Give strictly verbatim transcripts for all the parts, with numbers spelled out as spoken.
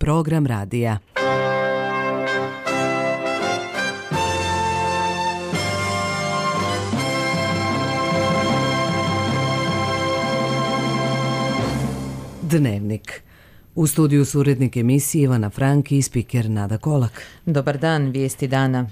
program radija. Dnevnik. U studiju su urednik emisije Ivana Franki i spiker Nada Kolak. Dobar dan, vijesti dana.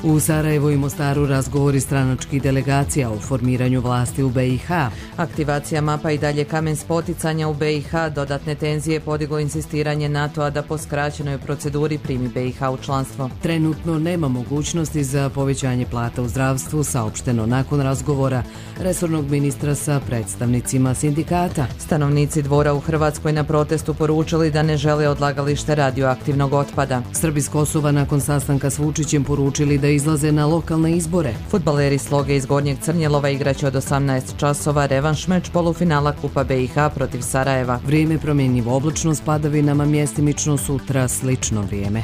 U Sarajevu i Mostaru razgovori stranačkih delegacija o formiranju vlasti u B i H. Aktivacija mapa i dalje kamen spoticanja u B i H, dodatne tenzije podiglo insistiranje NATO-a da po skraćenoj proceduri primi B i H u članstvo. Trenutno nema mogućnosti za povećanje plata u zdravstvu, saopšteno nakon razgovora resornog ministra sa predstavnicima sindikata. Stanovnici Dvora u Hrvatskoj na protestu poručili da ne žele odlagalište radioaktivnog otpada. Srbi s Kosova nakon sastanka s Vučićem poručili da izlaze na lokalne izbore. Fudbaleri Sloge iz Gornjeg Crnjelova igraće od osamnaest časova revanš meč polufinala Kupa B i H protiv Sarajeva. Vrijeme promjenjivo, oblačno s padavinama, mjestimično sutra slično vrijeme.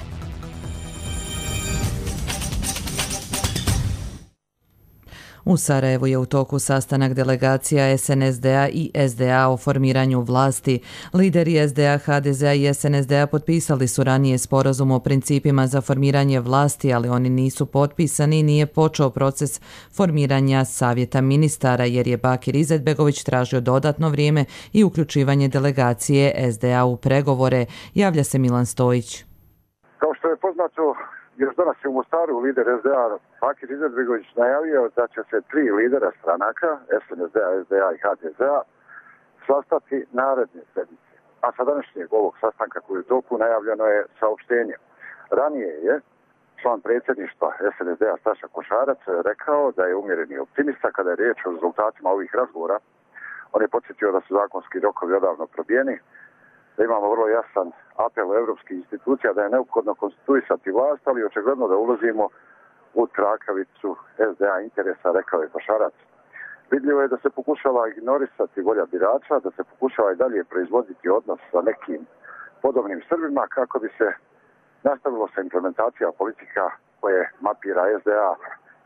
U Sarajevu je u toku sastanak delegacija S N S D-a i S D A o formiranju vlasti. Lideri S D A, H D Z-a i S N S D-a potpisali su ranije sporazum o principima za formiranje vlasti, ali oni nisu potpisani i nije počeo proces formiranja savjeta ministara, jer je Bakir Izetbegović tražio dodatno vrijeme i uključivanje delegacije S D A u pregovore. Javlja se Milan Stojić. Kao što je poznato, još danas je u Mostaru lider S D A Bakir Izetbegović najavio da će se tri lidera stranaka, S N S D-a, S D A i H D Z-a, sastati naredne sedmice. A sa današnjeg ovog sastanka koji je u toku najavljeno je saopštenje. Ranije je član predsjedništva S N S D-a Staša Košarac rekao da je umjereni optimista kada je riječ o rezultatima ovih razgovora. On je podsjetio da su zakonski rokovi odavno probijeni, da imamo vrlo jasan apel evropskih institucija da je neophodno konstituisati vlast, ali očigledno da ulazimo u trakavicu S D A interesa, rekao je Košarac. Vidljivo je da se pokušava ignorisati volja birača, da se pokušava i dalje proizvoditi odnos sa nekim podobnim Srbima kako bi se nastavilo sa implementacija politika koje mapira S D A,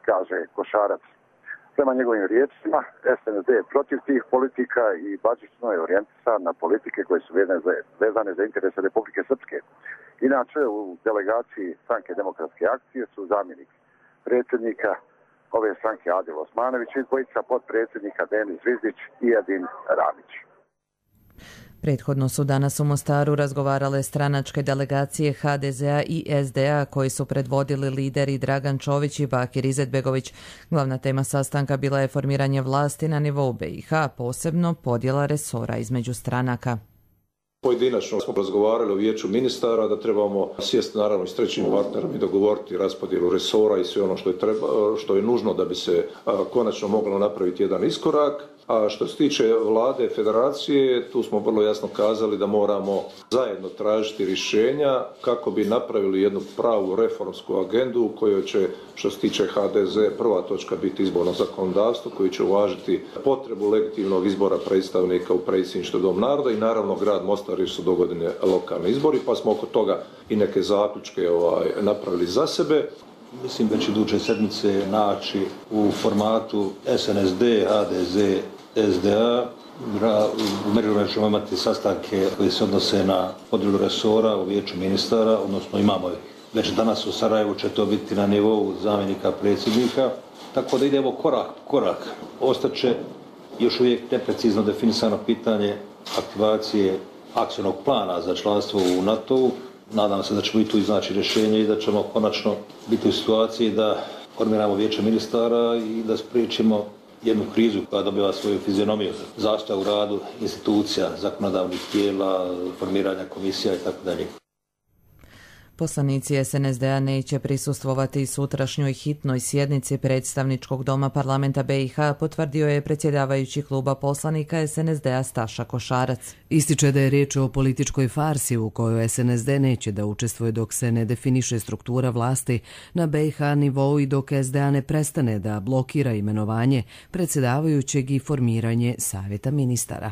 kaže Košarac. Prema njegovim riječima, S N S D je protiv tih politika i bazično je orijentisan na politike koje su vezane za interese Republike Srpske. Inače, u delegaciji Stranke demokratske akcije su zamjenik predsjednika ove stranke Adil Osmanović i dvojica potpredsjednika Denis Zvizdić i Edin Ramić. Prethodno su danas u Mostaru razgovarale stranačke delegacije H D Z-a i S D A koji su predvodili lideri Dragan Čović i Bakir Izetbegović. Glavna tema sastanka bila je formiranje vlasti na nivou B i H, posebno podjela resora između stranaka. Pojedinačno smo razgovarali o vijeću ministara da trebamo sjesti naravno s trećim partnerom i dogovoriti raspodjelu resora i sve ono što je, treba, što je nužno da bi se a, konačno moglo napraviti jedan iskorak. A što se tiče vlade federacije, tu smo vrlo jasno kazali da moramo zajedno tražiti rješenja kako bi napravili jednu pravu reformsku agendu u kojoj će, što se tiče H D Z, prva točka biti izborno zakonodavstvo koji će uvažiti potrebu legitimnog izbora predstavnika u predsjedništvo Dom naroda i naravno grad Mostar jer su dogodine lokalni izbori, pa smo oko toga i neke zaključke ovaj, napravili za sebe. Mislim da će iduće sedmice naći u formatu S N S D, H D Z, S D A. U međuvremenu ćemo imati sastanke koji se odnose na podjelu resora u vijeću ministara, odnosno imamo već danas u Sarajevu će to biti na nivou zamjenika predsjednika, tako da idemo korak po korak. Ostaće još uvijek neprecizno definisano pitanje aktivacije akcijnog plana za članstvo u NATO-u. Nadam se da ćemo i tu iznaći rješenje i da ćemo konačno biti u situaciji da formiramo vijeće ministara i da spriječimo jednu krizu koja dobiva svoju fizionomiju, zastoj u radu institucija, zakonodavnih tijela, formiranja komisija i tako dalje. Poslanici S N S D-a neće prisustvovati sutrašnjoj hitnoj sjednici predstavničkog doma parlamenta B i H, potvrdio je predsjedavajući kluba poslanika S N S D-a Staša Košarac. Ističe da je riječ o političkoj farsi u kojoj S N S D neće da učestvuje dok se ne definiše struktura vlasti na B i H nivou i dok S D A ne prestane da blokira imenovanje predsjedavajućeg i formiranje savjeta ministara.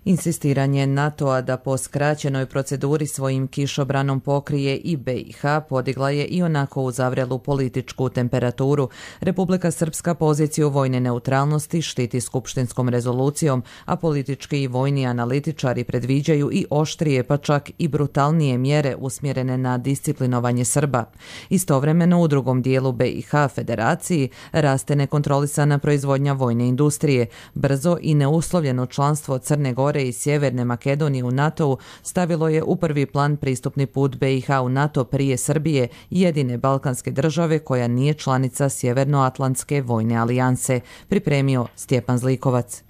Insistiranje NATO-a da po skraćenoj proceduri svojim kišobranom pokrije i B i H podigla je i onako uzavrelu političku temperaturu. Republika Srpska poziciju vojne neutralnosti štiti skupštinskom rezolucijom, a politički i vojni analitičari predviđaju i oštrije pa čak i brutalnije mjere usmjerene na disciplinovanje Srba. Istovremeno u drugom dijelu B i H federaciji raste nekontrolisana proizvodnja vojne industrije. Brzo i neuslovljeno članstvo Crne Gore i Sjeverne Makedonije u NATO-u stavilo je u prvi plan pristupni put B i H u NATO prije Srbije, jedine balkanske države koja nije članica Sjevernoatlantske vojne alijanse, pripremio Stjepan Zlikovac.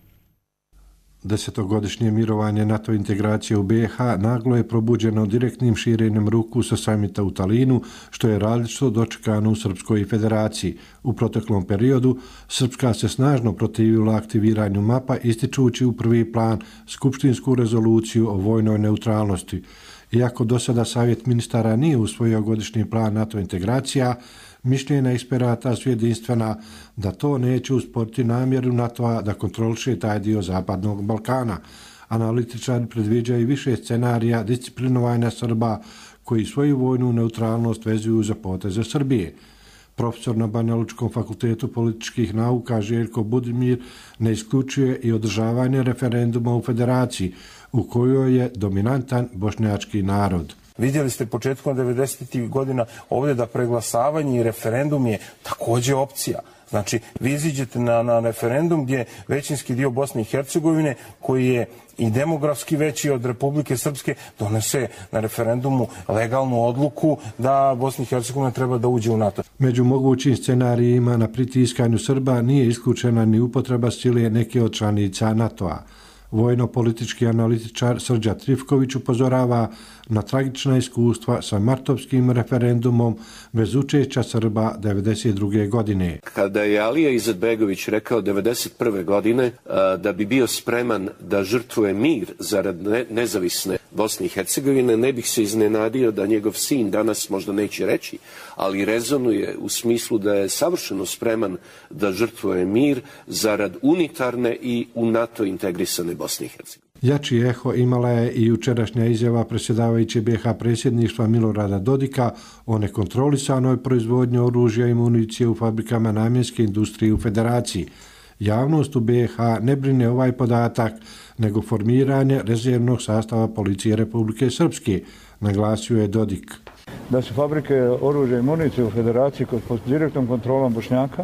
Desetogodišnje mirovanje NATO integracije u B i H naglo je probuđeno direktnim širenjem ruku sa samita u Talinu, što je različito dočekano u Srpskoj federaciji. U proteklom periodu Srpska se snažno protivila aktiviranju mapa, ističući u prvi plan skupštinsku rezoluciju o vojnoj neutralnosti. Iako do sada Savjet ministara nije usvojio godišnji plan NATO integracija, mišljenja eksperata su jedinstvena da to neće usporiti namjeru NATO-a da kontroliše taj dio Zapadnog Balkana. Analitičari predviđaju više scenarija disciplinovanja Srba koji svoju vojnu neutralnost vezuju za poteze Srbije. Profesor na Banja Lučkom fakultetu političkih nauka Željko Budimir ne isključuje i održavanje referenduma u federaciji, u kojoj je dominantan bošnjački narod. Vidjeli ste početkom devedesetih godina ovdje da preglasavanje i referendum je također opcija. Znači, vi iziđete na, na referendum gdje većinski dio Bosne i Hercegovine, koji je i demografski veći od Republike Srpske, donese na referendumu legalnu odluku da Bosna i Hercegovina treba da uđe u NATO. Među mogućim scenarijima na pritiskanju Srba nije isključena ni upotreba sile neke od članica NATO-a. Vojno-politički analitičar Srđa Trifković upozorava na tragična iskustva sa martovskim referendumom bez učešća Srba devedeset druge godine. Kada je Alija Izetbegović rekao devedeset prve godine da bi bio spreman da žrtvuje mir zarad nezavisne Bosne i Hercegovine, ne bih se iznenadio da njegov sin danas možda neće reći, ali rezonuje u smislu da je savršeno spreman da žrtvuje mir zarad unitarne i u NATO integrisane Bosne i Hercegovine. Jači eho imala je i jučerašnja izjava predsjedavajuće B i H predsjedništva Milorada Dodika o nekontrolisanoj proizvodnji oružja i municije u fabrikama namjenske industrije u federaciji. Javnost u B i H ne brine ovaj podatak, nego formiranje rezervnog sastava policije Republike Srpske, naglasio je Dodik. Da su fabrike oružja i municije u federaciji pod direktnom kontrolom Bošnjaka,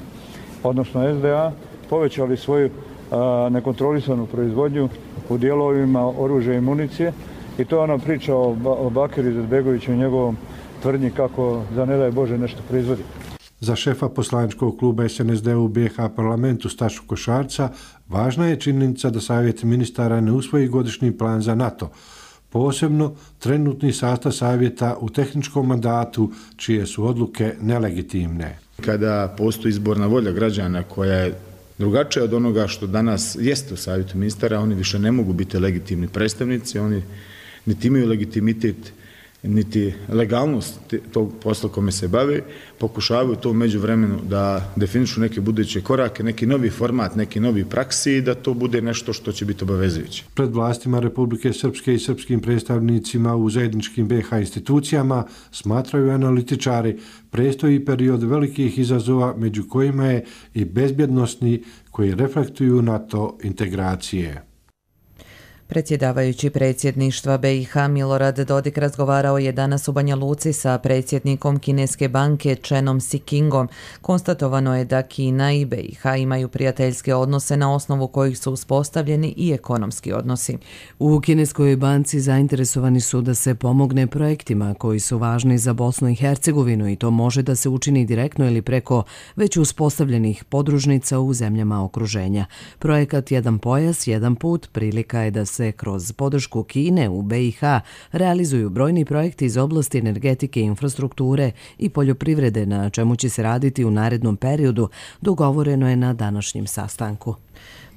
odnosno S D A, povećali svoju a, nekontrolisanu proizvodnju u dijelovima oružja i municije, i to je ona priča o, o Bakiru Izetbegoviću i njegovom tvrdnji kako za ne daj Bože nešto proizvodi. Za šefa poslaničkog kluba S N S D u B i H parlamentu Stašu Košarca važna je činjenica da Savjet ministara ne usvoji godišnji plan za NATO, posebno trenutni sastav savjeta u tehničkom mandatu, čije su odluke nelegitimne. Kada postoji izborna volja građana koja je drugačija od onoga što danas jeste u Savjetu ministara, oni više ne mogu biti legitimni predstavnici, oni niti imaju legitimitet niti legalnost tog posla kome se bave, pokušavaju to u međuvremenu da definišu neke buduće korake, neki novi format, neki novi praksi i da to bude nešto što će biti obavezujuće. Pred vlastima Republike Srpske i srpskim predstavnicima u zajedničkim B i H institucijama, smatraju analitičari, predstoji period velikih izazova, među kojima je i bezbjednosni, koji reflektuju NATO integracije. Predsjedavajući predsjedništva B i H Milorad Dodik razgovarao je danas u Banja Luci sa predsjednikom kineske banke Chenom Sikingom. Konstatovano je da Kina i B i H imaju prijateljske odnose na osnovu kojih su uspostavljeni i ekonomski odnosi. U kineskoj banci zainteresovani su da se pomogne projektima koji su važni za Bosnu i Hercegovinu, i to može da se učini direktno ili preko već uspostavljenih podružnica u zemljama okruženja. Projekat Jedan pojas, jedan put prilika je da se kroz podršku Kine u B i H realizuju brojni projekti iz oblasti energetike, infrastrukture i poljoprivrede, na čemu će se raditi u narednom periodu, dogovoreno je na današnjem sastanku.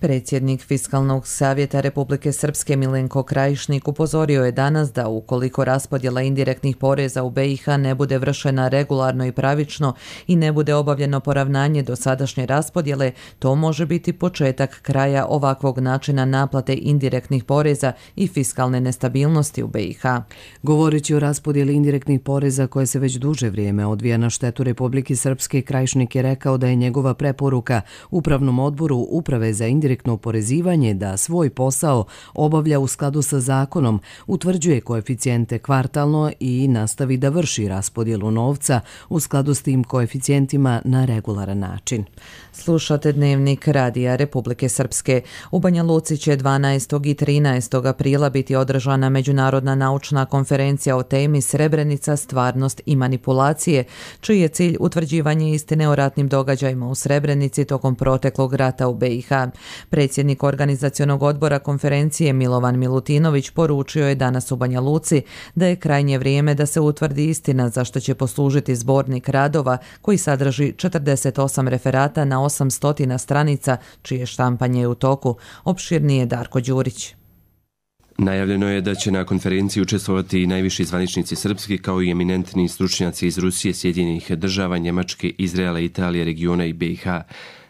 Predsjednik Fiskalnog savjeta Republike Srpske Milenko Krajišnik upozorio je danas da ukoliko raspodjela indirektnih poreza u be i ha ne bude vršena regularno i pravično i ne bude obavljeno poravnanje do sadašnje raspodjele, to može biti početak kraja ovakvog načina naplate indirektnih poreza i fiskalne nestabilnosti u be i ha. Govoreći o raspodjeli indirektnih poreza koje se već duže vrijeme odvija na štetu Republike Srpske, Krajišnik je rekao da je njegova preporuka Upravnom odboru Uprave za indirektno oporezivanje da svoj posao obavlja u skladu sa zakonom, utvrđuje koeficijente kvartalno i nastavi da vrši raspodjelu novca u skladu s tim koeficijentima na regularan način. Slušate Dnevnik Radija Republike Srpske. U Banja Luci će dvanaestog i trinaestog aprila biti održana međunarodna naučna konferencija o temi Srebrenica, stvarnost i manipulacije, čiji je cilj utvrđivanje istine o ratnim događajima u Srebrenici tokom proteklog rata u be i ha. Predsjednik organizacionog odbora konferencije Milovan Milutinović poručio je danas u Banja Luci da je krajnje vrijeme da se utvrdi istina, za što će poslužiti zbornik radova koji sadrži četrdeset osam referata na osamsto stranica, čije štampanje je u toku. Opširnije Darko Đurić. Najavljeno je da će na konferenciji učestvovati i najviši zvaničnici srpski, kao i eminentni stručnjaci iz Rusije, Sjedinjenih država, Njemačke, Izraela, Italije, regiona i be i ha.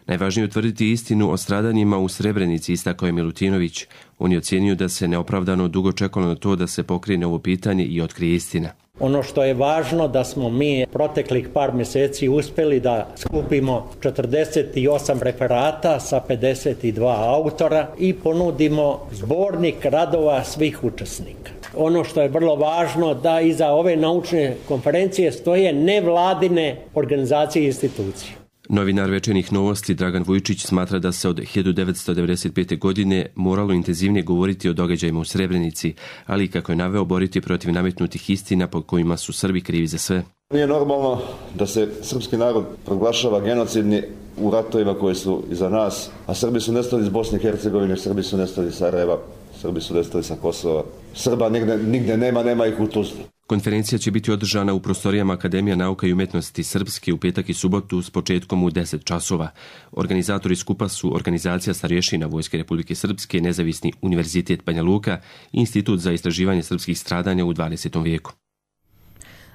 Najvažnije je utvrditi istinu o stradanjima u Srebrenici, istakao je Milutinović. On je ocijenio da se neopravdano dugo čekalo na to da se pokrene ovo pitanje i otkrije istina. Ono što je važno da smo mi proteklih par mjeseci uspjeli da skupimo četrdeset osam referata sa pedeset dva autora i ponudimo zbornik radova svih učesnika. Ono što je vrlo važno da iza ove naučne konferencije stoje nevladine organizacije i institucije. Novinar Večernjih novosti Dragan Vujčić smatra da se od hiljadu devetsto devedeset pete. godine moralo intenzivnije govoriti o događajima u Srebrenici, ali kako je naveo, boriti protiv nametnutih istina po kojima su Srbi krivi za sve. Nije normalno da se srpski narod proglašava genocidni u ratovima koji su iza nas, a Srbi su nestali iz Bosne i Hercegovine, Srbi su nestali iz Sarajeva, Srbi su nestali sa Kosova. Srba nigde, nigde nema, nema ih u Tuzli. Konferencija će biti održana u prostorijama Akademija nauka i umjetnosti Srpske u petak i subotu s početkom u deset časova. Organizatori skupa su Organizacija starješina Vojske Republike Srpske, Nezavisni univerzitet Banja Luka i Institut za istraživanje srpskih stradanja u dvadesetom vijeku.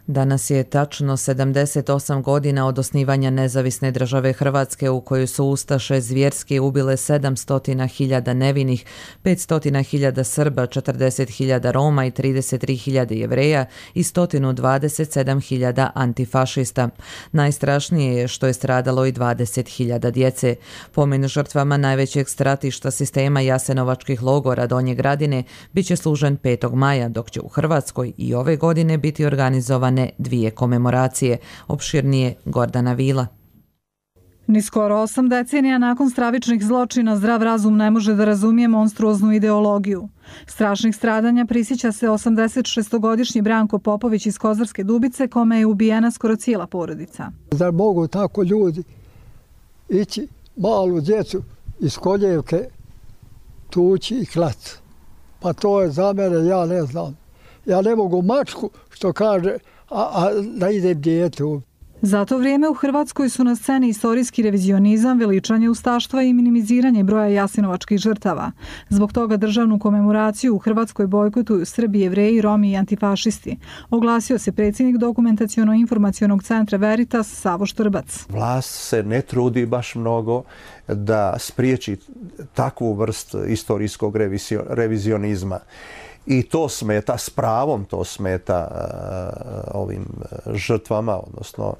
Danas je tačno sedamdeset osam godina od osnivanja nezavisne države Hrvatske, u kojoj su ustaše zvjerski ubile sedamsto hiljada nevinih, petsto hiljada Srba, četrdeset hiljada Roma i trideset tri hiljade Jevreja i sto dvadeset sedam hiljada antifašista. Najstrašnije je što je stradalo i dvadeset hiljada djece. Pomen žrtvama najvećeg stratišta sistema jasenovačkih logora Donje Gradine biće služen petog maja, dok će u Hrvatskoj i ove godine biti organizovane dvije komemoracije. Opširnije Gordana Vila. Ni skoro osam decenija nakon stravičnih zločina zdrav razum ne može da razumije monstruoznu ideologiju. Strašnih stradanja prisjeća se osamdeset šestogodišnji Branko Popović iz Kozarske Dubice, kome je ubijena skoro cijela porodica. Zar mogu tako ljudi ići malu djecu iz koljevke tući i klati? Pa to je za mene, ja ne znam. Ja ne mogu mačku, što kaže, a, a da idem djetu. Za to vrijeme u Hrvatskoj su na sceni istorijski revizionizam, veličanje ustaštva i minimiziranje broja jasenovačkih žrtava. Zbog toga državnu komemoraciju u Hrvatskoj bojkotuju Srbi, Jevreji, Romi i antifašisti. Oglasio se predsjednik Dokumentaciono-informacionog centra Veritas Savo Štrbac. Vlast se ne trudi baš mnogo da spriječi takvu vrst istorijskog revizionizma. I to smeta, s pravom to smeta uh, ovim žrtvama, odnosno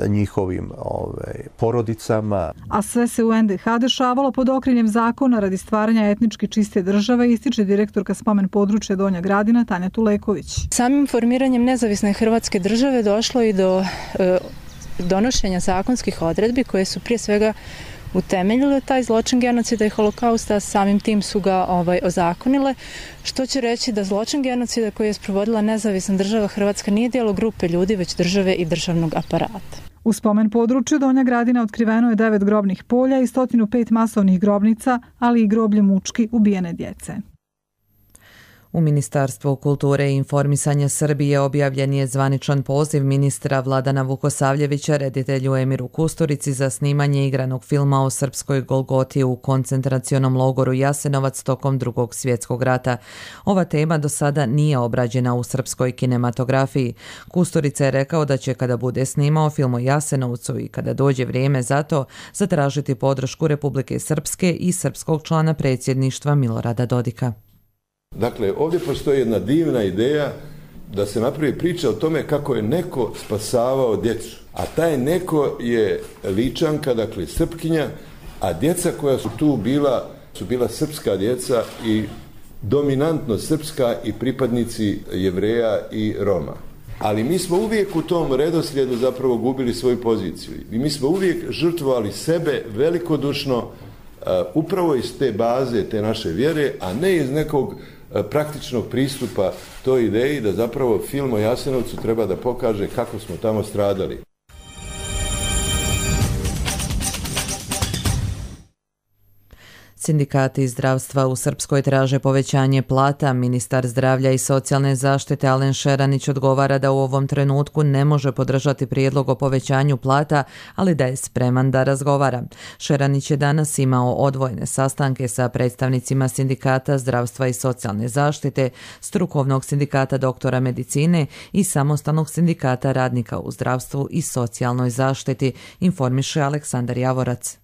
njihovim ove, porodicama. A sve se u en de ha dešavalo pod okriljem zakona radi stvaranja etnički čiste države, ističe direktorka spomen područja Donja Gradina Tanja Tuleković. Samim formiranjem nezavisne Hrvatske države došlo i do uh, donošenja zakonskih odredbi koje su prije svega utemeljile taj zločin genocida i holokausta, samim tim su ga ovaj, ozakonile, što će reći da zločin genocida koji je sprovodila nezavisna država Hrvatska nije djelo grupe ljudi, već države i državnog aparata. U spomen području Donja Gradina otkriveno je devet grobnih polja i sto pet masovnih grobnica, ali i groblje mučki ubijene djece. U Ministarstvu kulture i informisanja Srbije objavljen je zvaničan poziv ministra Vladana Vukosavljevića reditelju Emiru Kusturici za snimanje igranog filma o srpskoj Golgoti u koncentracionom logoru Jasenovac tokom Drugog svjetskog rata. Ova tema do sada nije obrađena u srpskoj kinematografiji. Kusturica je rekao da će kada bude snimao film o Jasenovcu i kada dođe vrijeme za to, zatražiti podršku Republike Srpske i srpskog člana predsjedništva Milorada Dodika. Dakle, ovdje postoji jedna divna ideja da se napravi priča o tome kako je neko spasavao djecu. A taj neko je Ličanka, dakle Srpkinja, a djeca koja su tu bila, su bila srpska djeca i dominantno srpska i pripadnici Jevreja i Roma. Ali mi smo uvijek u tom redoslijedu zapravo gubili svoju poziciju. I mi smo uvijek žrtvovali sebe velikodušno uh, upravo iz te baze, te naše vjere, a ne iz nekog uh, praktičnog pristupa toj ideji da zapravo film o Jasenovcu treba da pokaže kako smo tamo stradali. Sindikati zdravstva u Srpskoj traže povećanje plata. Ministar zdravlja i socijalne zaštite Alen Šeranić odgovara da u ovom trenutku ne može podržati prijedlog o povećanju plata, ali da je spreman da razgovara. Šeranić je danas imao odvojene sastanke sa predstavnicima Sindikata zdravstva i socijalne zaštite, Strukovnog sindikata doktora medicine i Samostalnog sindikata radnika u zdravstvu i socijalnoj zaštiti, informiše Aleksandar Javorac.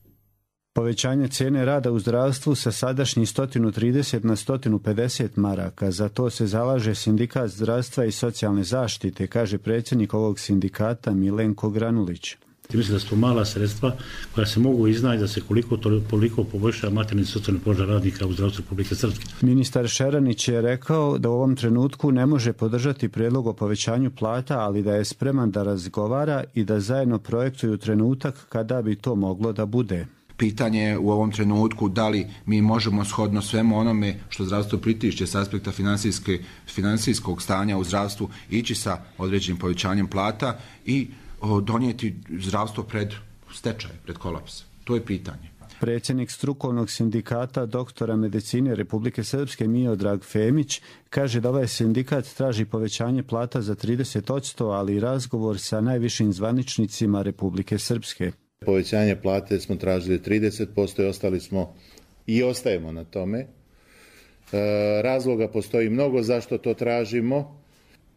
Povećanje cijene rada u zdravstvu sa sadašnjih sto trideset na sto pedeset maraka. Za to se zalaže Sindikat zdravstva i socijalne zaštite, kaže predsjednik ovog sindikata Milenko Granulić. Mislim da su to mala sredstva koja se mogu iznaći da se koliko toliko poboljša materijalni socijalni položaj radnika u zdravstvu Republike Srpske. Ministar Šeranić je rekao da u ovom trenutku ne može podržati prijedlog o povećanju plata, ali da je spreman da razgovara i da zajedno projektuju trenutak kada bi to moglo da bude. Pitanje je u ovom trenutku da li mi možemo shodno svemu onome što zdravstvo pritišće s aspekta financijskog stanja u zdravstvu ići sa određenim povećanjem plata i o, donijeti zdravstvo pred stečaj, pred kolaps. To je pitanje. Predsjednik Strukovnog sindikata doktora medicine Republike Srpske Miodrag Femić kaže da ovaj sindikat traži povećanje plata za trideset posto, ali i razgovor sa najvišim zvaničnicima Republike Srpske. Povećanje plate smo tražili trideset posto i ostali smo i ostajemo na tome. E, razloga postoji mnogo zašto to tražimo.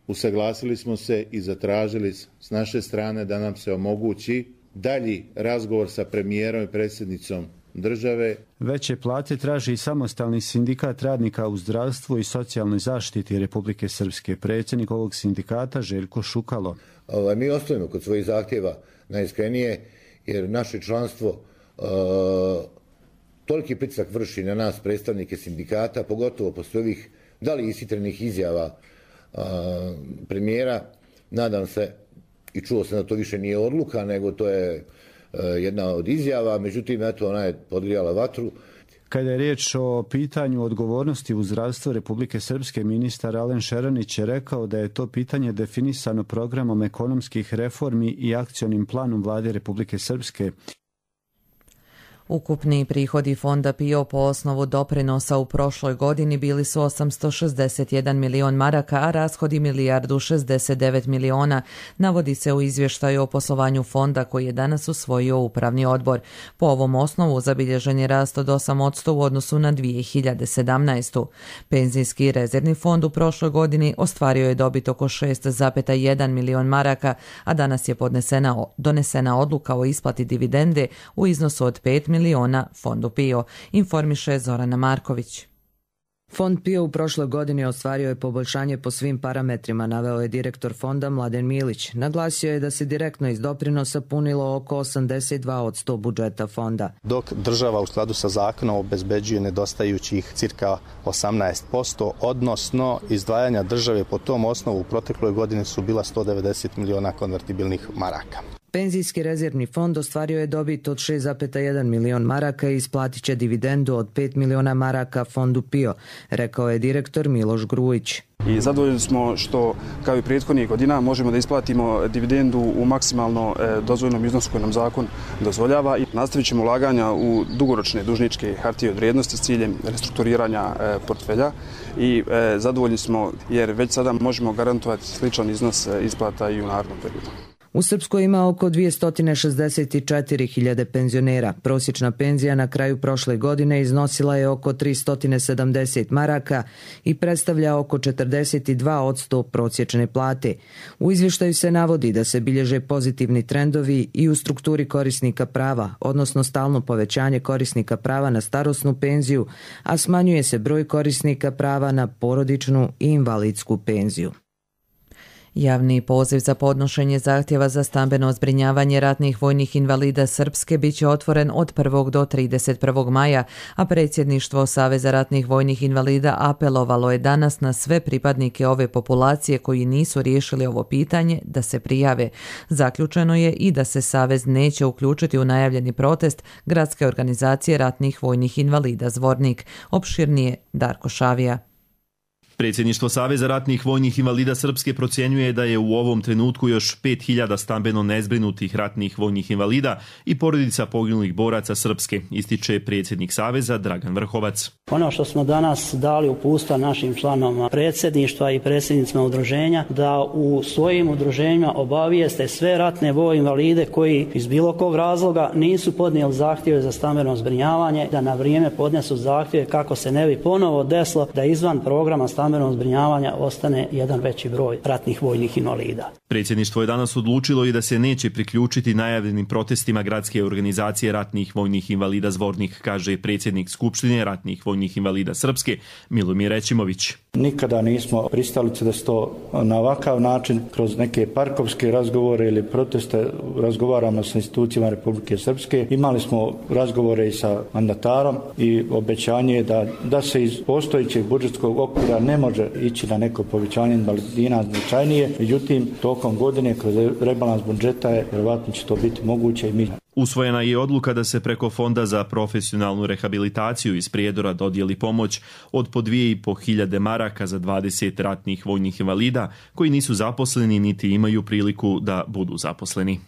Usaglasili smo se i zatražili s naše strane da nam se omogući dalji razgovor sa premijerom i predsjednicom države. Veće plate traži i Samostalni sindikat radnika u zdravstvu i socijalnoj zaštiti Republike Srpske. Predsjednik ovog sindikata Željko Šukalo. Ovaj, mi ostajemo kod svojih zahtjeva najiskrenije, jer naše članstvo uh, toliki pritisak vrši na nas predstavnike sindikata, pogotovo posle ovih da li ishitrenih izjava uh, premijera. Nadam se i čuo sam da to više nije odluka, nego to je uh, jedna od izjava, međutim, eto, ona je podgrijala vatru. Kada je riječ o pitanju odgovornosti u zdravstvu Republike Srpske, ministar Alen Šeranić je rekao da je to pitanje definisano programom ekonomskih reformi i akcionim planom vlade Republike Srpske. Ukupni prihodi fonda P I O po osnovu doprinosa u prošloj godini bili su osamsto šezdeset jedan milion maraka, a rashodi milijardu šezdeset devet miliona, navodi se u izvještaju o poslovanju fonda koji je danas usvojio upravni odbor. Po ovom osnovu zabilježen je rast od osam posto u odnosu na dvije hiljade sedamnaestu. Penzijski rezervni fond u prošloj godini ostvario je dobit oko šest zarez jedan milion maraka, a danas je podnesena, donesena odluka o isplati dividende u iznosu od pet miliona fondu P I O, informiše Zorana Marković. Fond P I O u prošloj godini ostvario je poboljšanje po svim parametrima, naveo je direktor fonda Mladen Milić. Naglasio je da se direktno iz doprinosa punilo oko osamdeset dva posto budžeta fonda. Dok država u skladu sa zakonom obezbeđuje nedostajućih cirka osamnaest posto, odnosno izdvajanja države po tom osnovu u protekloj godini su bila sto devedeset miliona konvertibilnih maraka. Penzijski rezervni fond ostvario je dobit od šest zarez jedan milion maraka i isplatit će dividendu od pet miliona maraka fondu P I O, rekao je direktor Miloš Grujić. I zadovoljni smo što, kao i prethodnih godina, možemo da isplatimo dividendu u maksimalno dozvoljnom iznosu koji nam zakon dozvoljava i nastavit ćemo ulaganja u dugoročne dužničke hartije od vrijednosti s ciljem restrukturiranja portfelja i zadovoljni smo jer već sada možemo garantovati sličan iznos isplata i u narednom periodu. U Srpskoj ima oko dvjesto šezdeset četiri hiljade penzionera. Prosječna penzija na kraju prošle godine iznosila je oko tristo sedamdeset maraka i predstavlja oko četrdeset dva posto prosječne plate. U izvještaju se navodi da se bilježe pozitivni trendovi i u strukturi korisnika prava, odnosno stalno povećanje korisnika prava na starosnu penziju, a smanjuje se broj korisnika prava na porodičnu i invalidsku penziju. Javni poziv za podnošenje zahtjeva za stambeno zbrinjavanje ratnih vojnih invalida Srpske bit će otvoren od prvog do trideset prvog maja, a predsjedništvo Saveza ratnih vojnih invalida apelovalo je danas na sve pripadnike ove populacije koji nisu riješili ovo pitanje da se prijave. Zaključeno je i da se Savez neće uključiti u najavljeni protest Gradske organizacije ratnih vojnih invalida Zvornik. Opširnije Darko Šavija. Predsjedništvo Saveza ratnih vojnih invalida Srpske procjenjuje da je u ovom trenutku još pet hiljada stambeno nezbrinutih ratnih vojnih invalida i porodica poginulih boraca Srpske, ističe predsjednik Saveza Dragan Vrhovac. Ono što smo danas dali uputstva našim članovima predsjedništva i predsjednicima udruženja da u svojim udruženjima obavijeste sve ratne vojne invalide koji iz bilo kog razloga nisu podnijeli zahtjeve za stambeno zbrinjavanje, da na vrijeme podnesu zahtjeve kako se ne bi ponovo desilo da izvan programa stambeno stambenog zbrinjavanja ostane jedan veći broj ratnih vojnih invalida. Predsjedništvo je danas odlučilo i da se neće priključiti najavljenim protestima Gradske organizacije ratnih vojnih invalida Zvornik, kaže predsjednik Skupštine ratnih vojnih invalida Srpske Milomir Rećimović. Nikada nismo pristalice da se to na ovakav način kroz neke parkovske razgovore ili proteste razgovaramo sa institucijama Republike Srpske. Imali smo razgovore i sa mandatarom i obećanje da, da se iz postojećeg budžetskog okvira ne može ići na neko povećanje invalidina značajnije, međutim tokom godine kroz rebalans budžeta je vjerovatno će to biti moguće i mi. Usvojena je odluka da se preko Fonda za profesionalnu rehabilitaciju iz Prijedora dodijeli pomoć od po dvije i po hiljade maraka za dvadeset ratnih vojnih invalida koji nisu zaposleni niti imaju priliku da budu zaposleni.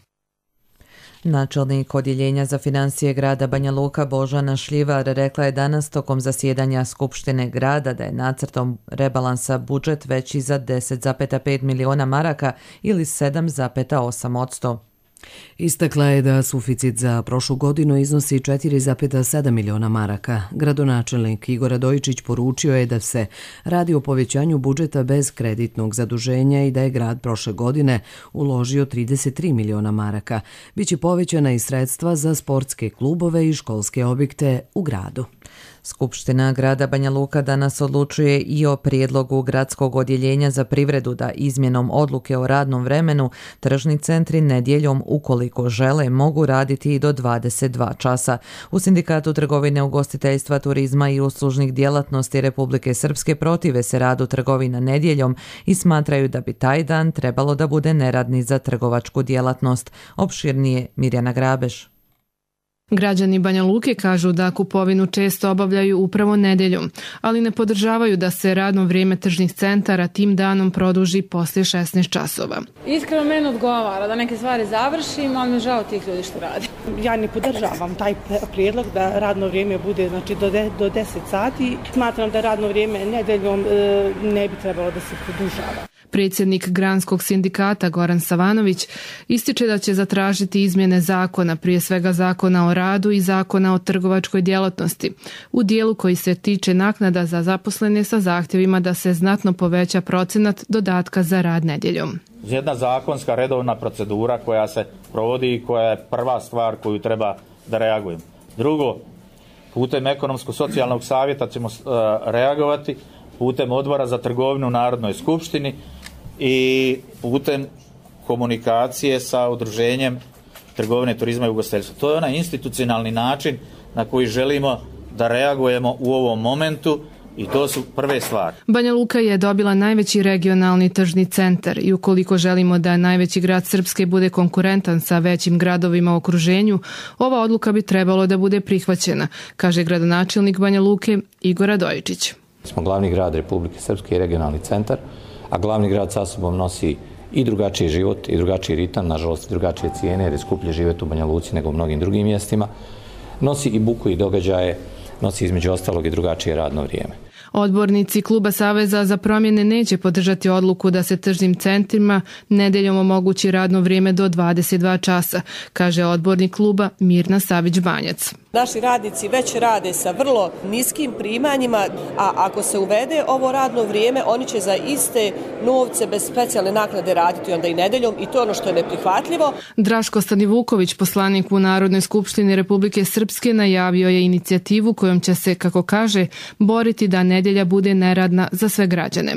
Načelnik odjeljenja za financije grada Banja Luka Božana Šljivar rekla je danas tokom zasjedanja Skupštine grada da je nacrtom rebalansa budžet veći za deset zarez pet miliona maraka ili sedam zarez osam posto. Istakla je da suficit za prošlu godinu iznosi četiri zarez sedam miliona maraka. Gradonačelnik Igor Radojičić poručio je da se radi o povećanju budžeta bez kreditnog zaduženja i da je grad prošle godine uložio trideset tri miliona maraka. Biće povećana i sredstva za sportske klubove i školske objekte u gradu. Skupština grada Banja Luka danas odlučuje i o prijedlogu gradskog odjeljenja za privredu da izmjenom odluke o radnom vremenu tržni centri nedjeljom ukoliko žele mogu raditi i do dvadeset dva časa. U Sindikatu trgovine, ugostiteljstva, turizma i uslužnih djelatnosti Republike Srpske protive se radu trgovina nedjeljom i smatraju da bi taj dan trebalo da bude neradni za trgovačku djelatnost. Opširnije Mirjana Grabeš. Građani Banja Luke kažu da kupovinu često obavljaju upravo nedjeljom, ali ne podržavaju da se radno vrijeme tržnih centara tim danom produži poslije šesnaest časova. Iskreno meni odgovara da neke stvari završim, ali me žao tih ljudi što radi. Ja ne podržavam taj prijedlog da radno vrijeme bude znači, do, de, do deset sati. Smatram da radno vrijeme nedjeljom e, ne bi trebalo da se produžava. Predsjednik Granskog sindikata Goran Savanović ističe da će zatražiti izmjene zakona, prije svega zakona o radu i zakona o trgovačkoj djelatnosti, u dijelu koji se tiče naknada za zaposlene sa zahtjevima da se znatno poveća procenat dodatka za rad nedjeljom. Jedna zakonska redovna procedura koja se provodi i koja je prva stvar koju treba da reagujemo. Drugo, putem ekonomsko-socijalnog savjeta ćemo uh, reagovati, putem odbora za trgovinu u Narodnoj skupštini i putem komunikacije sa udruženjem trgovine, turizma i ugostiteljstva. To je onaj institucionalni način na koji želimo da reagujemo u ovom momentu i to su prve stvari. Banja Luka je dobila najveći regionalni tržni centar i ukoliko želimo da najveći grad Srpske bude konkurentan sa većim gradovima u okruženju, ova odluka bi trebalo da bude prihvaćena, kaže gradonačelnik Banja Luke Igor Radojičić. Smo glavni grad Republike Srpske i regionalni centar, a glavni grad sa sobom nosi i drugačiji život i drugačiji ritam, nažalost i drugačije cijene jer je skuplje živjeti u Banja Luci nego u mnogim drugim mjestima. Nosi i buku i događaje, nosi između ostalog i drugačije radno vrijeme. Odbornici Kluba Saveza za promjene neće podržati odluku da se tržnim centrima nedeljom omogući radno vrijeme do dvadeset dva časa, kaže odbornik kluba Mirna Savić-Banjac. Naši radnici već rade sa vrlo niskim primanjima, a ako se uvede ovo radno vrijeme, oni će za iste novce bez specijalne naknade raditi onda i nedeljom i to je ono što je neprihvatljivo. Draško Stanivuković, poslanik u Narodnoj skupštini Republike Srpske, najavio je inicijativu kojom će se, kako kaže, boriti da nedjelja bude neradna za sve građane.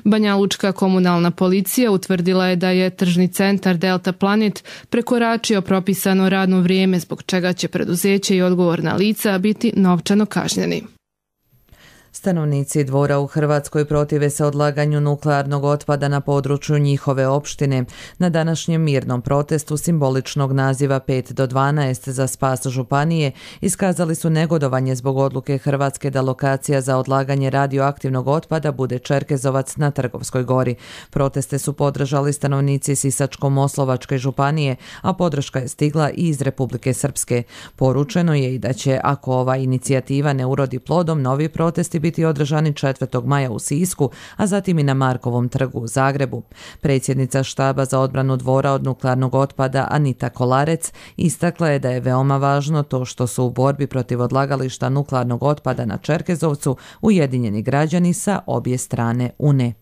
Banjalučka komunalna policija utvrdila je da je tržni centar Delta Planet prekoračio propisano radno vrijeme, zbog čega će preduzeće i odgovorna lica biti novčano kažnjeni. Stanovnici Dvora u Hrvatskoj protive se odlaganju nuklearnog otpada na području njihove opštine. Na današnjem mirnom protestu simboličnog naziva pet do dvanaest za spas županije iskazali su negodovanje zbog odluke Hrvatske da lokacija za odlaganje radioaktivnog otpada bude Čerkezovac na Trgovskoj gori. Proteste su podržali stanovnici Sisačko-Moslovačke županije, a podrška je stigla i iz Republike Srpske. Poručeno je i da će, ako ova inicijativa ne urodi plodom, novi protesti biti održani četvrtog maja u Sisku, a zatim i na Markovom trgu u Zagrebu. Predsjednica štaba za odbranu Dvora od nuklearnog otpada Anita Kolarec istakla je da je veoma važno to što su u borbi protiv odlagališta nuklearnog otpada na Čerkezovcu ujedinjeni građani sa obje strane Une.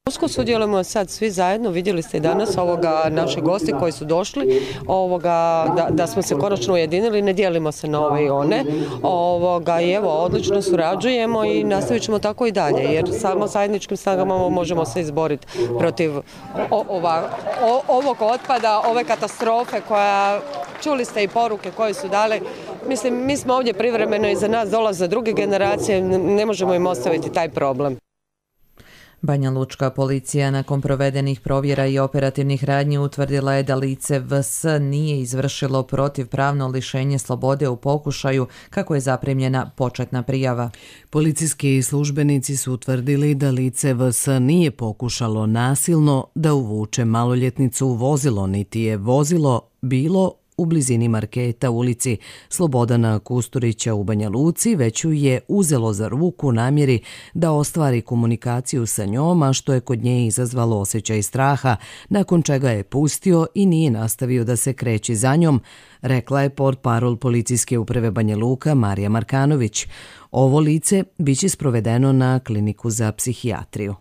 Usko sudjelujemo sad svi zajedno, vidjeli ste i danas ovoga naše gosti koji su došli, ovoga, da, da smo se konačno ujedinili, ne dijelimo se na ove i one, ovoga, i evo, odlično surađujemo i nastavit ćemo tako i dalje, jer samo zajedničkim snagama možemo se izboriti protiv o, ova, o, ovog otpada, ove katastrofe koja, čuli ste i poruke koje su dale. Mislim, mi smo ovdje privremeno i za nas dolaze druge generacije, ne možemo im ostaviti taj problem. Banja Lučka policija nakon provedenih provjera i operativnih radnji utvrdila je da lice V S nije izvršilo protivpravno lišenje slobode u pokušaju kako je zaprimljena početna prijava. Policijski službenici su utvrdili da lice V S nije pokušalo nasilno da uvuče maloljetnicu u vozilo, niti je vozilo bilo u blizini marketa u ulici Slobodana Kusturića u Banja Luci, već ju je uzelo za ruku u namjeri da ostvari komunikaciju sa njom, a što je kod nje izazvalo osjećaj straha, nakon čega je pustio i nije nastavio da se kreće za njom, rekla je portparol policijske uprave Banja Luka Marija Markanović. Ovo lice biće sprovedeno na kliniku za psihijatriju.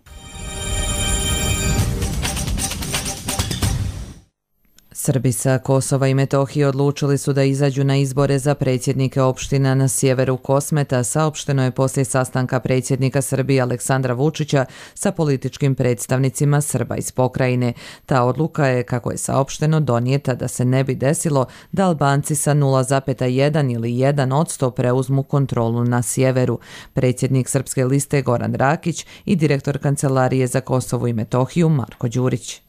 Srbi sa Kosova i Metohije odlučili su da izađu na izbore za predsjednike opština na sjeveru Kosmeta, saopšteno je poslije sastanka predsjednika Srbije Aleksandra Vučića sa političkim predstavnicima Srba iz pokrajine. Ta odluka je, kako je saopšteno, donijeta da se ne bi desilo da Albanci sa nula zarez jedan ili jedan posto preuzmu kontrolu na sjeveru. Predsjednik Srpske liste Goran Rakić i direktor Kancelarije za Kosovo i Metohiju Marko Đurić.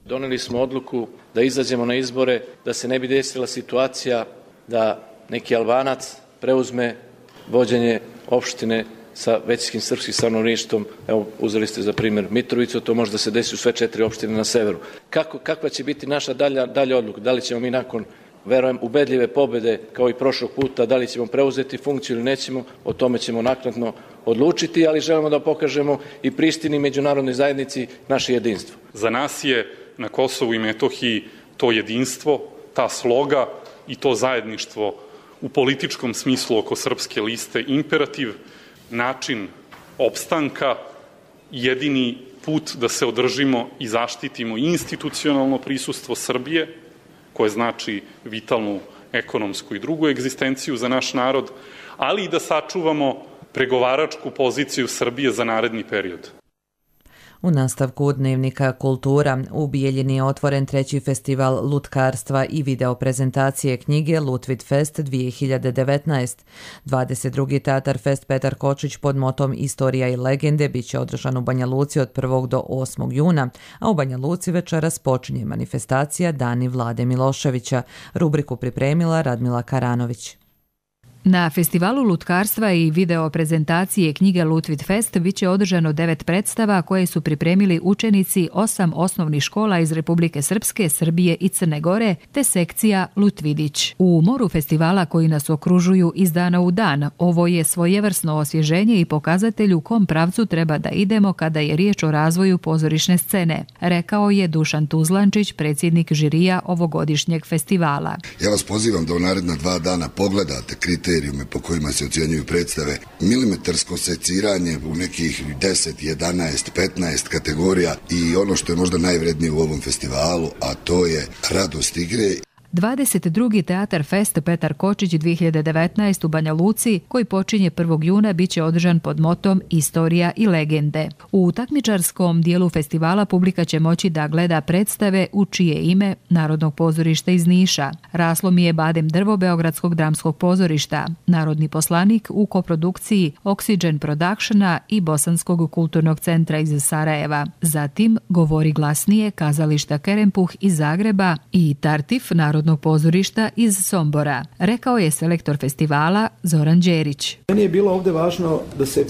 Doneli smo odluku da izađemo na izbore, da se ne bi desila situacija da neki Albanac preuzme vođenje opštine sa većinskim srpskim stanovništvom. Evo, uzeli ste za primjer Mitrovicu, to može da se desi u sve četiri opštine na severu. Kako, kakva će biti naša dalja, dalja odluka? Da li ćemo mi nakon, verujem, ubedljive pobjede kao i prošlog puta, da li ćemo preuzeti funkciju ili nećemo, o tome ćemo naknadno odlučiti, ali želimo da pokažemo i Prištini i međunarodnoj zajednici naše jedinstvo. Za nas je na Kosovu i Metohiji to jedinstvo, ta sloga i to zajedništvo u političkom smislu oko Srpske liste imperativ, način opstanka, jedini put da se održimo i zaštitimo institucionalno prisustvo Srbije, koje znači vitalnu ekonomsku i drugu egzistenciju za naš narod, ali i da sačuvamo pregovaračku poziciju Srbije za naredni period. U nastavku Dnevnika kultura u Bijeljini je otvoren treći festival lutkarstva i video prezentacije knjige Lutvit Fest dvije hiljade devetnaest. dvadeset drugi Tatar Fest Petar Kočić pod motom Istorija i legende biće održan u Banja Luci od prvog do osmog juna, a u Banja Luci večeras počinje manifestacija Dani Vlade Miloševića. Rubriku pripremila Radmila Karanović. Na festivalu lutkarstva i video prezentacije knjige Lutvit Fest biće održano devet predstava koje su pripremili učenici osam osnovnih škola iz Republike Srpske, Srbije i Crne Gore, te sekcija Lutvidić. U moru festivala koji nas okružuju iz dana u dan, ovo je svojevrsno osvježenje i pokazatelj u kom pravcu treba da idemo kada je riječ o razvoju pozorišne scene, rekao je Dušan Tuzlančić, predsjednik žirija ovogodišnjeg festivala. Ja vas pozivam da u naredna dva dana pogledate kriterijume po kojima se ocjenjuju predstave, milimetarsko seciranje u nekih deset, jedanaest, petnaest kategorija i ono što je možda najvrednije u ovom festivalu, a to je radost igre. dvadeset drugi Teatar Fest Petar Kočić dvije hiljade devetnaeste u Banja Luci, koji počinje prvog juna, biće održan pod motom Istorija i legende. U takmičarskom dijelu festivala publika će moći da gleda predstave u čije ime Narodnog pozorišta iz Niša, Raslo mi je badem drvo Beogradskog dramskog pozorišta, Narodni poslanik u koprodukciji Oxygen Productiona i Bosanskog kulturnog centra iz Sarajeva. Zatim Govori glasnije kazališta Kerempuh iz Zagreba i Tartif Narodnog pozorišta iz Sombora, rekao je selektor festivala Zoran Đerić. Meni je bilo ovdje važno da se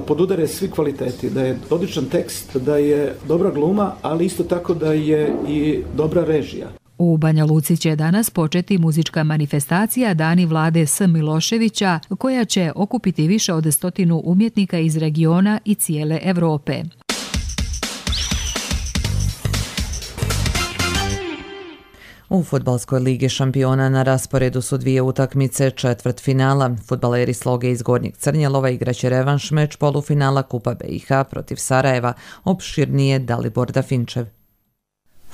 podudare svi kvaliteti, da je odličan tekst, da je dobra gluma, ali isto tako da je i dobra režija. U Banja Luci će danas početi muzička manifestacija Dani Vlade S. Miloševića, koja će okupiti više od stotinu umjetnika iz regiona i cijele Evrope. U Fudbalskoj ligi šampiona na rasporedu su dvije utakmice četvrtfinala. Fudbaleri Sloge iz Gornjeg Crnjelova igraće revanš meč polufinala Kupa B i H protiv Sarajeva, opširnije Dalibor Dafinčev.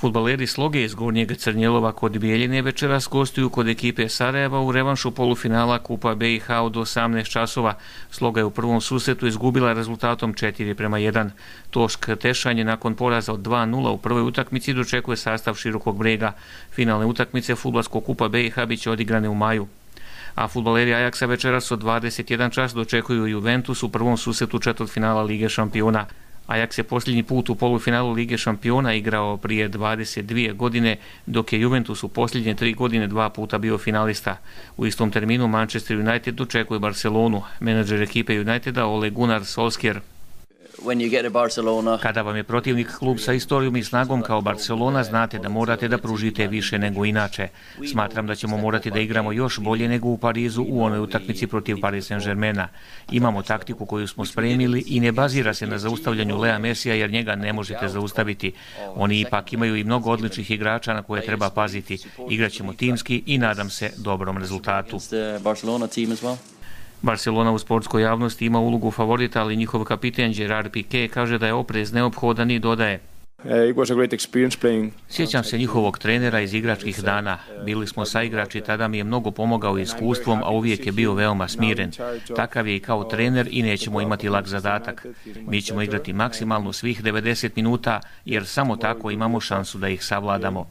Fudbaleri Sloge iz Gornjeg Crnjelova kod Bijeljine večeras gostuju kod ekipe Sarajeva u revanšu polufinala Kupa B i H od osamnaest časova. Sloga je u prvom susretu izgubila rezultatom četiri prema jedan. Tošk Tešanje nakon poraza od dva nula u prvoj utakmici dočekuje sastav Širokog Brega. Finalne utakmice Fudbalskog Kupa B i H biće odigrane u maju. A fudbaleri Ajaksa večeras od dvadeset jedan čas dočekuju Juventus u prvom susretu četvrtfinala Lige šampiona. Ajax je posljednji put u polufinalu Lige šampiona igrao prije dvadeset dvije godine, dok je Juventus u posljednje tri godine dva puta bio finalista. U istom terminu Manchester United dočekuje Barcelonu. Menadžer ekipe Uniteda Ole Gunnar Solskjaer. Kada vam je protivnik klub sa istorijom i snagom kao Barcelona, znate da morate da pružite više nego inače. Smatram da ćemo morati da igramo još bolje nego u Parizu u onoj utakmici protiv Paris Saint-Germaina. Imamo taktiku koju smo spremili i ne bazira se na zaustavljanju Lea Mesija jer njega ne možete zaustaviti. Oni ipak imaju i mnogo odličnih igrača na koje treba paziti. Igraćemo timski i nadam se dobrom rezultatu. Barcelona u sportskoj javnosti ima ulogu favorita, ali njihov kapiten Gerard Piqué kaže da je oprez neophodan i dodaje: Sjećam se njihovog trenera iz igračkih dana. Bili smo saigrači, tada mi je mnogo pomogao iskustvom, a uvijek je bio veoma smiren. Takav je i kao trener i nećemo imati lak zadatak. Mi ćemo igrati maksimalno svih devedeset minuta, jer samo tako imamo šansu da ih savladamo.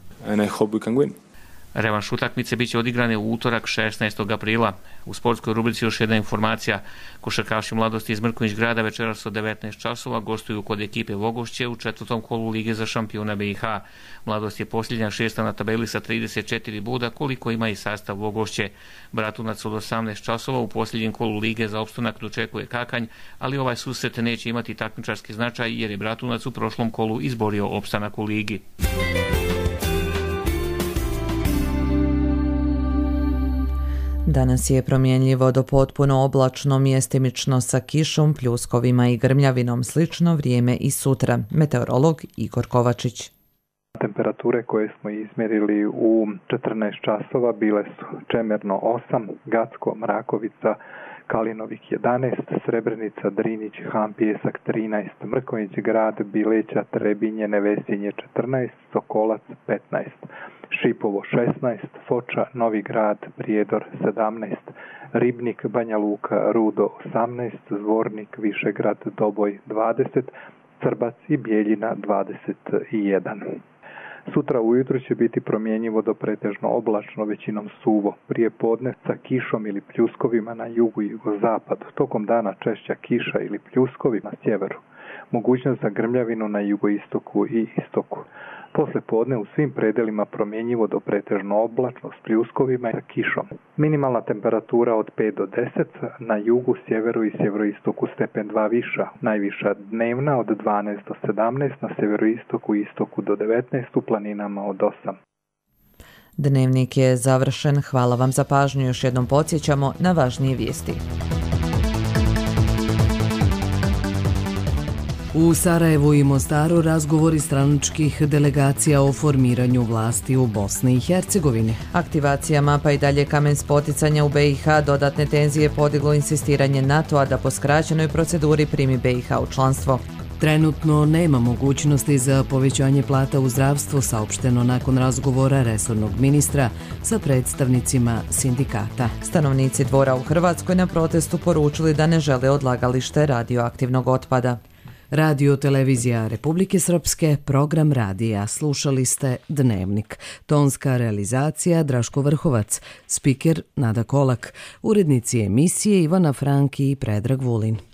Revanš utakmice biće odigrane u utorak šesnaestog aprila. U sportskoj rubrici još jedna informacija. Košarkaši Mladosti iz Mrkonjić Grada večeras od devetnaest časova gostuju kod ekipe Vogošće u četvrtom kolu Lige za šampiona B i H. Mladost je posljednja šesta na tabeli sa trideset četiri boda, koliko ima i sastav Vogošće. Bratunac od osamnaest časova u posljednjem kolu Lige za opstanak dočekuje Kakanj, ali ovaj susret neće imati takmičarski značaj jer je Bratunac u prošlom kolu izborio opstanak u Ligi. Danas je promjenljivo do potpuno oblačno, mjestimično sa kišom, pljuskovima i grmljavinom. Slično vrijeme i sutra. Meteorolog Igor Kovačić. Temperature koje smo izmjerili u četrnaest časova bile su Čemerno osam, Gacko, Mrakovica, Kalinovik jedanaest, Srebrenica, Drinić, Han, Pijesak trinaest, Mrkonjić Grad, Bileća, Trebinje, Nevesinje četrnaest, Sokolac petnaest, Šipovo šesnaest, Foča, Novi Grad, Prijedor sedamnaest, Ribnik, Banja Luka, Rudo osamnaest, Zvornik, Višegrad, Doboj dvadeset, Crbac i Bijeljina dvadeset jedan. Sutra ujutro će biti promjenjivo do pretežno oblačno, većinom suvo. Prije podne sa kišom ili pljuskovima na jugu i jugozapadu. Tokom dana češća kiša ili pljuskovi na sjeveru. mogućnost za grmljavinu na jugoistoku i istoku. Posle podne u svim predelima promjenjivo do pretežno oblačno s pljuskovima i sa kišom. Minimalna temperatura od pet do deset, na jugu, sjeveru i sjeveroistoku stepen dva viša. Najviša dnevna od dvanaest do sedamnaest, na sjeveroistoku i istoku do devetnaest, u planinama od osam. Dnevnik je završen. Hvala vam za pažnju. Još jednom podsjećamo na važnije vijesti. U Sarajevu i Mostaru razgovori stranačkih delegacija o formiranju vlasti u Bosni i Hercegovini. Aktivacija mapa i dalje kamen spoticanja u B i H, dodatne tenzije podiglo insistiranje NATO-a da po skraćenoj proceduri primi B i H u članstvo. Trenutno nema mogućnosti za povećanje plata u zdravstvu, saopšteno nakon razgovora resornog ministra sa predstavnicima sindikata. Stanovnici Dvora u Hrvatskoj na protestu poručili da ne žele odlagalište radioaktivnog otpada. Radio Televizija Republike Srpske, program radija. Slušali ste Dnevnik. Tonska realizacija Draško Vrhovac, spiker Nada Kolak, urednici emisije Ivana Franki i Predrag Vulin.